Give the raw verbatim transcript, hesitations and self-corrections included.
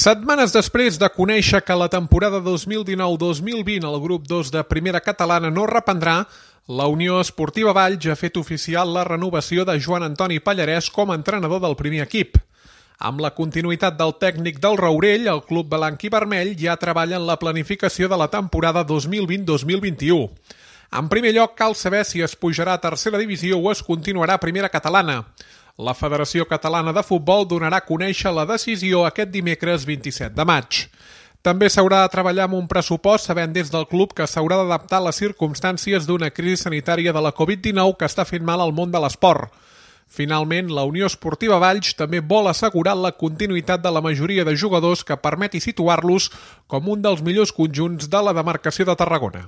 Setmanes després de conèixer que la temporada dos mil dinou dos mil vint el grup dos de Primera Catalana no reprendrà, la Unió Esportiva Valls ha fet oficial la renovació de Joan Antoni Pallarès com a entrenador del primer equip. Amb la continuïtat del tècnic del Rourell, el club blanc i vermell ja treballa en la planificació de la temporada dos mil vint dos mil vint-i-u. En primer lloc, cal saber si es pujarà a tercera divisió o es continuarà a Primera Catalana. La Federació Catalana de Futbol donarà a conèixer la decisió aquest dimecres vint-i-set de maig. També s'haurà de treballar amb un pressupost sabent des del club que s'haurà d'adaptar a les circumstàncies d'una crisi sanitària de la covid dinou que està fent mal al món de l'esport. Finalment, la Unió Esportiva Valls també vol assegurar la continuïtat de la majoria de jugadors que permeti situar-los com un dels millors conjunts de la demarcació de Tarragona.